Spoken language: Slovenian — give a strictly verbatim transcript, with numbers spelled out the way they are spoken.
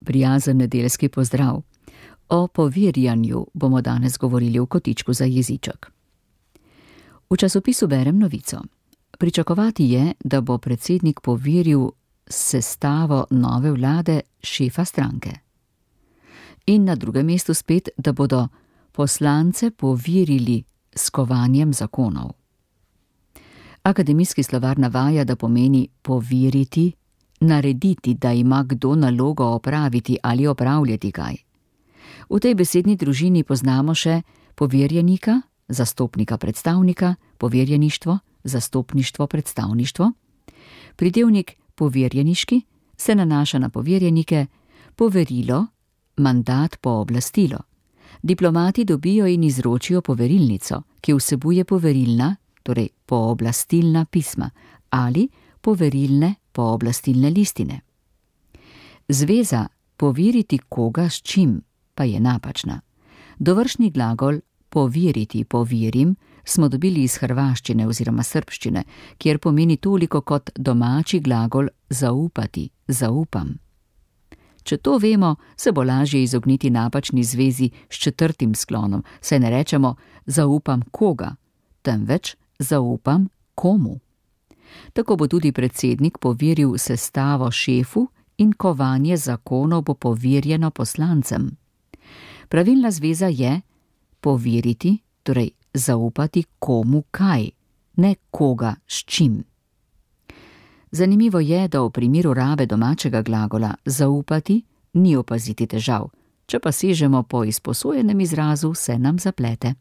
prijazen nedeljski pozdrav. O poverjanju bomo danes govorili v kotičku za jeziček. V časopisu berem novico. Pričakovati je, da bo predsednik poveril sestavo nove vlade šefa stranke. In na drugem mestu spet, da bodo poslance poverili s kovanjem zakonov. Akademijski slovar navaja, da pomeni poveriti, narediti, da ima kdo nalogo opraviti ali opravljati kaj. V tej besedni družini poznamo še poverjenika, zastopnika predstavnika, poverjeništvo, zastopništvo predstavništvo. Pridevnik poverjeniški se nanaša na poverjenike, poverilo, mandat pooblastilo. Diplomati dobijo in izročijo poverilnico, ki vsebuje poverilna, torej pooblastilna pisma ali poverilne pooblastilne listine. Zveza poveriti koga s čim pa je napačna. Dovršni glagol poveriti, poverim smo dobili iz hrvaščine oziroma srbščine, kjer pomeni toliko kot domači glagol zaupati, zaupam. Če to vemo, se bo lažje izogniti napačni zvezi s četrtim sklonom, saj ne rečemo zaupam koga, temveč zaupam komu. Tako bo tudi predsednik poveril sestavo šefu in kovanje zakonov bo poverjeno poslancem. Pravilna zveza je poveriti, torej zaupati komu kaj, ne koga s čim. Zanimivo je, da v primeru rabe domačega glagola zaupati ni opaziti težav, če pa sežemo po izposojenem izrazu, se nam zaplete.